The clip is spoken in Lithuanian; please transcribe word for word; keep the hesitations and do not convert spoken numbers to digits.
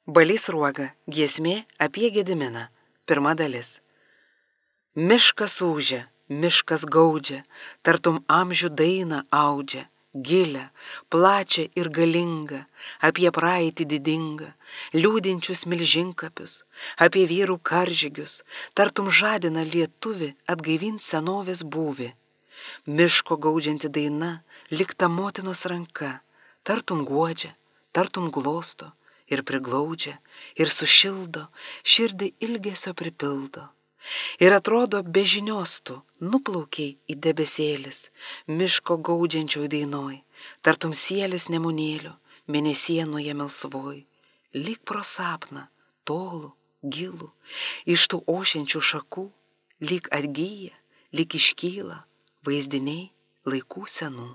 Balys Sruoga, giesmė apie Gediminą, pirma dalis. Miškas ūžia, miškas gaudžia, tartum amžių dainą audžia, gilę, plačią ir galingą, apie praeitį didingą, liūdinčius milžinkapius, apie vyrų karžygius, tartum žadina lietuvį atgaivint senovės būvį. Miško gaudžianti daina, lyg ta motinos ranka, tartum guodžia, tartum glosto ir priglaudžia, ir sušildo, širdį ilgesio pripildo. Ir atrodo be žinios tu nuplaukiai į debesėlis, miško gaudžiančioj dainoj, tartum sielis nemunėlio, mėnesienoje melsvoj, lyg pro sapną, tolų, gilų, iš tų ošiančių šakų, lyg atgyja, lyg iškyla, vaizdiniai laikų senų.